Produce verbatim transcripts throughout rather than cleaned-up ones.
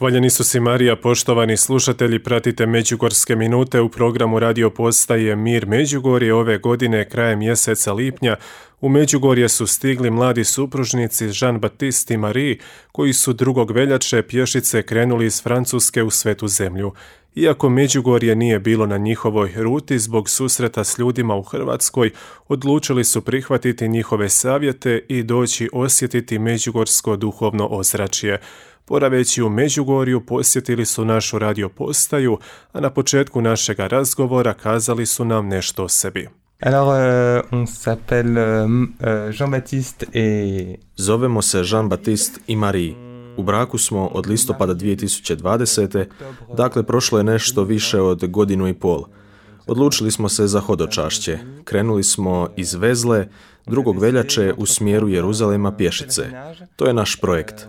Hvaljeni su si Marija, poštovani slušatelji, pratite Međugorske minute u programu radio postaje Mir Međugorje. Ove godine, krajem mjeseca lipnja, u Međugorje su stigli mladi supružnici Jean-Baptiste i Marie, koji su drugog veljače pješice krenuli iz Francuske u Svetu zemlju. Iako Međugorje nije bilo na njihovoj ruti zbog susreta s ljudima u Hrvatskoj, odlučili su prihvatiti njihove savjete i doći osjetiti međugorsko duhovno ozračje. Boraveći u Međugorju, posjetili su našu radio postaju, a na početku našega razgovora kazali su nam nešto o sebi. Alors, euh, on s'appelle euh, Jean-Baptiste et... Zovemo se Jean-Baptiste i Marie. U braku smo od listopada dvije tisuće dvadesete. Dakle prošlo je nešto više od godinu i pol. Odlučili smo se za hodočašće. Krenuli smo iz Vezle drugog veljače u smjeru Jeruzalema pješice. To je naš projekt.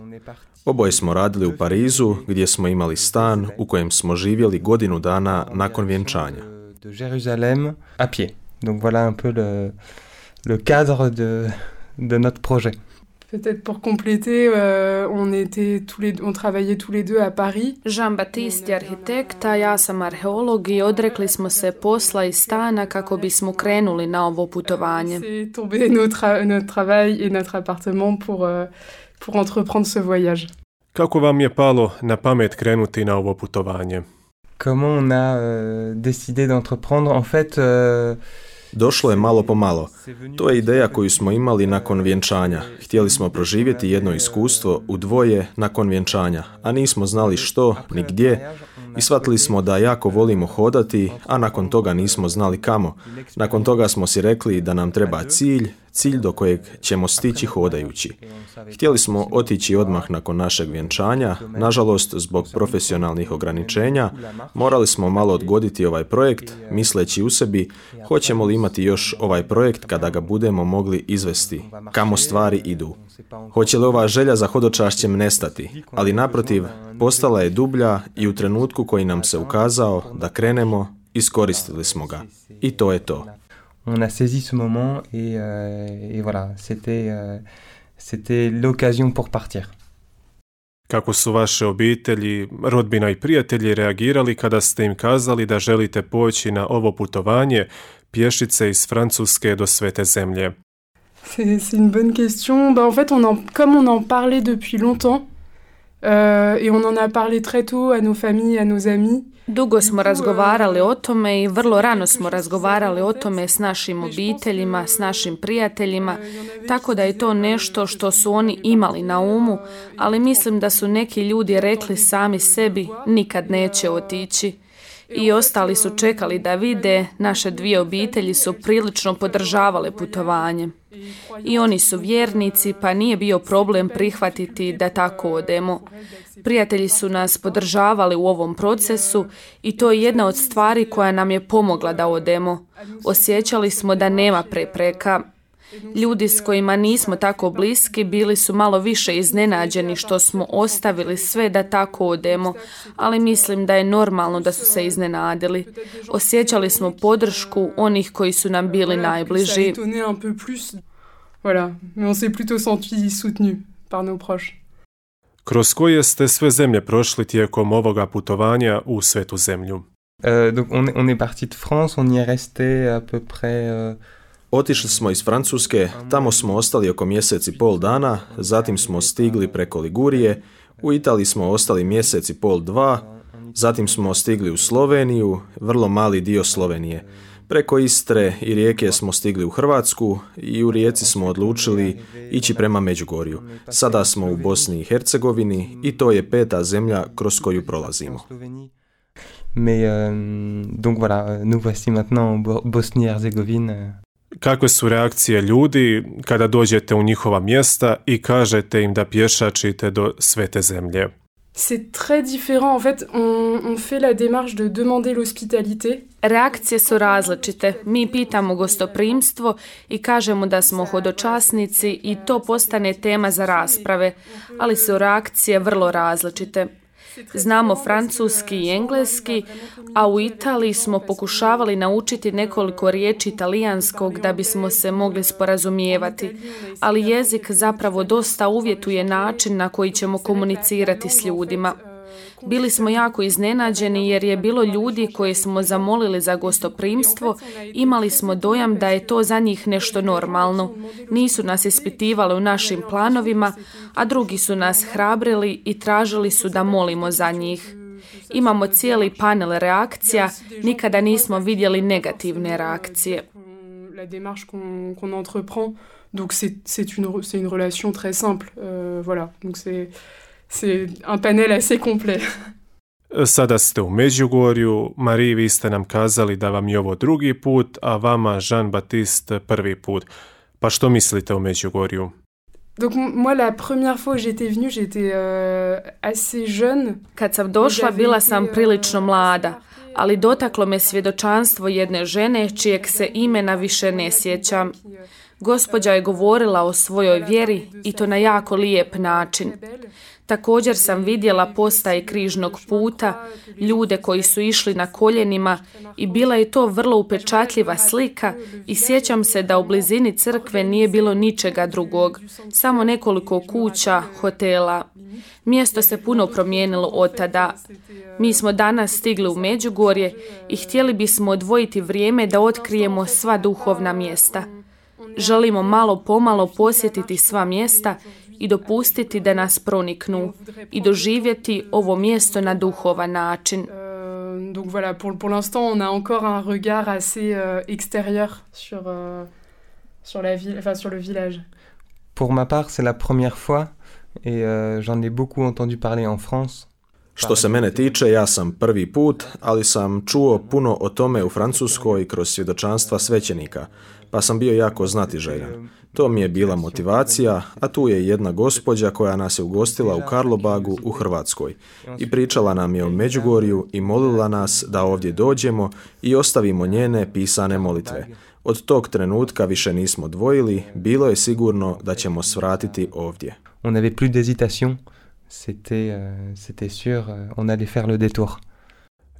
Oboje smo radili u Parizu, gdje smo imali stan u kojem smo živjeli godinu dana nakon vjenčanja. De Jérusalem à pied. Donc voilà un peu le, le cadre de, de notre projet. Peut-être pour compléter, euh, on était tous les, on travaillait tous les deux à Paris. Jean-Baptiste je arhitekt, a ja sam arheolog i odrekli smo se posla i stana kako bismo krenuli na ovo putovanje. C'est tombé notre, notre travail et notre appartement pour, euh, pour entreprendre ce voyage. Kako vam je palo na pamet krenuti na ovo putovanje? Comment on a euh, décidé d'entreprendre? En fait... Euh, Došlo je malo po malo. To je ideja koju smo imali nakon vjenčanja. Htjeli smo proživjeti jedno iskustvo u dvoje nakon vjenčanja, a nismo znali što ni gdje i shvatili smo da jako volimo hodati, a nakon toga nismo znali kamo. Nakon toga smo si rekli da nam treba cilj, cilj do kojeg ćemo stići hodajući. Htjeli smo otići odmah nakon našeg vjenčanja, nažalost zbog profesionalnih ograničenja, morali smo malo odgoditi ovaj projekt, misleći u sebi hoćemo li imati još ovaj projekt kada ga budemo mogli izvesti, kamo stvari idu. Hoće li ova želja za hodočašćem nestati, ali naprotiv, postala je dublja i u trenutku koji nam se ukazao da krenemo, iskoristili smo ga. I to je to. On a saisi ce moment et, euh, et voilà, c'était, euh, c'était l'occasion pour partir. Kako su vaše obitelji, rodbina i prijatelji reagirali kada ste im kazali da želite poći na ovo putovanje pješice iz Francuske do Svete zemlje? C'est, c'est une bonne question. Bah, en fait, on en, comme on en parlait depuis longtemps, euh, et on en a parlé très tôt à nos familles, à nos amis. Dugo smo razgovarali o tome i vrlo rano smo razgovarali o tome s našim obiteljima, s našim prijateljima, tako da je to nešto što su oni imali na umu, ali mislim da su neki ljudi rekli sami sebi nikad neće otići. I ostali su čekali da vide, naše dvije obitelji su prilično podržavale putovanje. I oni su vjernici, pa nije bio problem prihvatiti da tako odemo. Prijatelji su nas podržavali u ovom procesu i to je jedna od stvari koja nam je pomogla da odemo. Osjećali smo da nema prepreka. Ljudi s kojima nismo tako bliski bili su malo više iznenađeni što smo ostavili sve da tako odemo, ali mislim da je normalno da su se iznenadili. Osjećali smo podršku onih koji su nam bili najbliži. Voilà, mais on s'est plutôt senti soutenu par nos proches. Kroz koje ste sve zemlje prošli tijekom ovoga putovanja u Svetu zemlju? Euh, donc on, on est parti de France, on y est resté à peu près... Euh... Otišli smo iz Francuske, tamo smo ostali oko mjesec i pol dana, zatim smo stigli preko Ligurije, u Italiji smo ostali mjesec i pol dva, zatim smo stigli u Sloveniju, vrlo mali dio Slovenije. Preko Istre i Rijeke smo stigli u Hrvatsku i u Rijeci smo odlučili ići prema Međugorju. Sada smo u Bosni i Hercegovini i to je peta zemlja kroz koju prolazimo. Mais euh, donc voilà, nous voici maintenant en Bosnie et Herzégovine. Kakve su reakcije ljudi kada dođete u njihova mjesta i kažete im da pješačite do Svete zemlje? C'est très différent. En fait, on, on fait la démarche de demander l'hospitalité. Reakcije su različite. Mi pitamo gostoprimstvo i kažemo da smo hodočasnici i to postane tema za rasprave, ali su reakcije vrlo različite. Znamo francuski i engleski, a u Italiji smo pokušavali naučiti nekoliko riječi italijanskog da bismo se mogli sporazumijevati, ali jezik zapravo dosta uvjetuje način na koji ćemo komunicirati s ljudima. Bili smo jako iznenađeni jer je bilo ljudi koje smo zamolili za gostoprimstvo, imali smo dojam da je to za njih nešto normalno. Nisu nas ispitivali u našim planovima, a drugi su nas hrabrili i tražili su da molimo za njih. Imamo cijeli panel reakcija, nikada nismo vidjeli negativne reakcije. La démarche qu'on qu'on entreprend, donc c'est c'est une c'est une relation très simple, euh, voilà, donc c'est c'est un panel assez complet. Sada ste u Međugorju, Marie, vi ste nam kazali da vam je ovo drugi put, a vama Jean-Baptiste prvi put. Pa što mislite o Međugorju? Donc moi la première fois que j'étais venue, j'étais euh, assez jeune. Kad sam došla, bila sam prilično mlada, ali dotaklo me svjedočanstvo jedne žene čijeg se imena više ne sjećam. Gospođa je govorila o svojoj vjeri i to na jako lijep način. Također sam vidjela postaje križnog puta, ljude koji su išli na koljenima i bila je to vrlo upečatljiva slika i sjećam se da u blizini crkve nije bilo ničega drugog, samo nekoliko kuća, hotela. Mjesto se puno promijenilo od tada. Mi smo danas stigli u Međugorje i htjeli bismo odvojiti vrijeme da otkrijemo sva duhovna mjesta. Želimo malo pomalo posjetiti sva mjesta i dopustiti da nas proniknu i doživjeti ovo mjesto na duhovan način. Donc voilà, pour pour l'instant, on a encore un regard assez euh, extérieur sur euh, sur la ville, enfin sur le village. Pour ma part, c'est la première fois et euh, j'en ai beaucoup entendu parler en France. Što se mene tiče, ja sam prvi put, ali sam čuo puno o tome u Francuskoj kroz svjedočanstva svećenika, pa sam bio jako znatiželjan. To mi je bila motivacija, a tu je jedna gospođa koja nas je ugostila u Karlobagu u Hrvatskoj i pričala nam je o Međugorju i molila nas da ovdje dođemo i ostavimo njene pisane molitve. Od tog trenutka više nismo dvojili, bilo je sigurno da ćemo svratiti ovdje. On n'avait plus d'hésitation. C'était, euh, c'était sûr, euh, on allait faire le détour.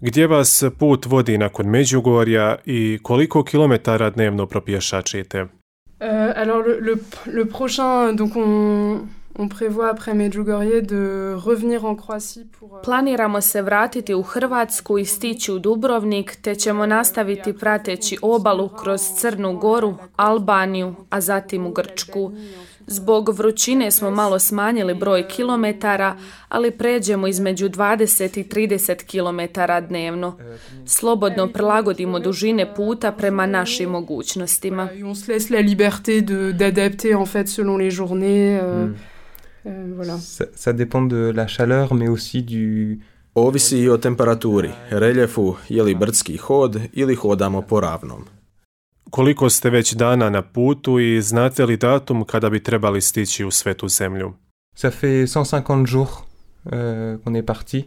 Gdje vas put vodi nakon Međugorja i koliko kilometara dnevno propješačite? Euh, alors le, le, le prochain, donc on, on prévoit après Medjugorje de revenir en Croatie pour... Planiramo se vratiti u Hrvatsku i stići u Dubrovnik, te ćemo nastaviti prateći obalu kroz Crnu Goru, Albaniju, a zatim u Grčku. Zbog vrućine smo malo smanjili broj kilometara, ali pređemo između dvadeset i trideset kilometara dnevno. Slobodno prilagodimo dužine puta prema našim mogućnostima. On se laisse la liberté de d'adapter en fait selon les journées. Euh, mm. euh, voilà. Ça, ça dépend de la chaleur, mais aussi du... Ovisi i o temperaturi, reljefu, je li brdski hod ili hodamo po ravnom. Koliko ste već dana na putu i znate li datum kada bi trebali stići u Svetu zemlju? Ça fait cent cinquante jours euh, qu'on est parti.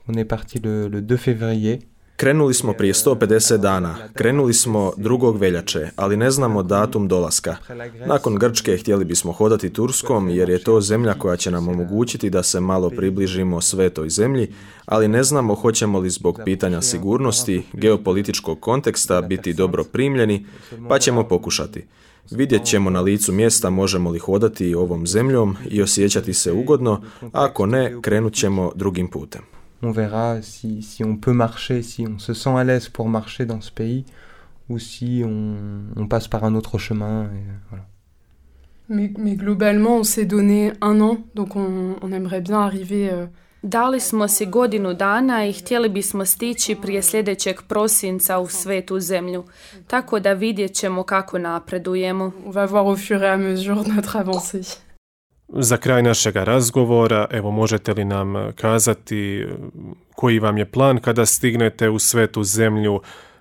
On est parti le, le deux février. Krenuli smo prije sto pedeset dana. Krenuli smo drugog veljače, ali ne znamo datum dolaska. Nakon Grčke htjeli bismo hodati Turskom jer je to zemlja koja će nam omogućiti da se malo približimo Svetoj zemlji, ali ne znamo hoćemo li zbog pitanja sigurnosti, geopolitičkog konteksta biti dobro primljeni, pa ćemo pokušati. Vidjet ćemo na licu mjesta možemo li hodati ovom zemljom i osjećati se ugodno, a ako ne, krenut ćemo drugim putem. On verra si, si on peut marcher, si on se sent à l'aise pour marcher dans ce pays, ou si on, on passe par un autre chemin. Et voilà. Mais, mais globalement, on s'est donné un an, donc on, on aimerait bien arriver... Euh... Dali smo si godinu dana i htjeli bismo stići prije sljedećeg prosinca u Svetu zemlju, tako da vidjet ćemo kako napredujemo. On va voir au fur et à mesure notre avancée. Za kraj našega razgovora, evo možete li nam kazati koji vam je plan kada stignete u Svetu zemlju,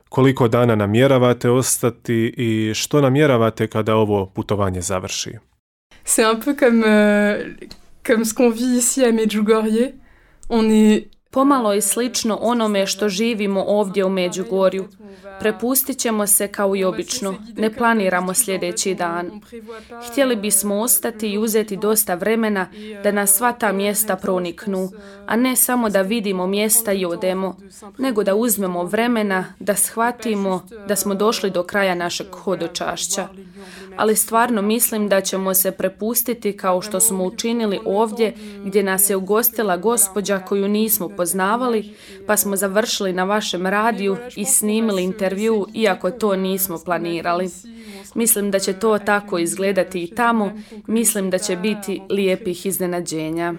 koliko dana namjeravate ostati i što namjeravate kada ovo putovanje završi? C'est un peu comme, euh, comme ce qu'on vit ici à Medjugorje. On est Pomalo je slično onome što živimo ovdje u Međugorju. Prepustit ćemo se kao i obično, ne planiramo sljedeći dan. Htjeli bismo ostati i uzeti dosta vremena da nas sva ta mjesta proniknu, a ne samo da vidimo mjesta i odemo, nego da uzmemo vremena, da shvatimo da smo došli do kraja našeg hodočašća. Ali stvarno mislim da ćemo se prepustiti kao što smo učinili ovdje gdje nas je ugostila gospođa koju nismo poznavali, pa smo završili na vašem radiju i snimili intervju iako to nismo planirali. Mislim da će to tako izgledati i tamo, mislim da će biti lijepih iznenađenja.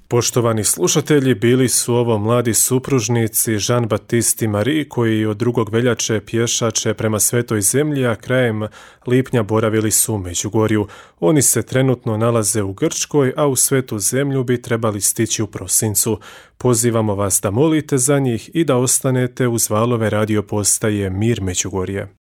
Poštovani slušatelji, bili su ovo mladi supružnici Jean-Baptiste i Marie koji od drugog veljače pješače prema Svetoj zemlji, a krajem lipnja boravili su u Međugorju. Oni se trenutno nalaze u Grčkoj, a u Svetu zemlju bi trebali stići u prosincu. Pozivamo vas da molite za njih i da ostanete uz valove radio postaje Mir Međugorje.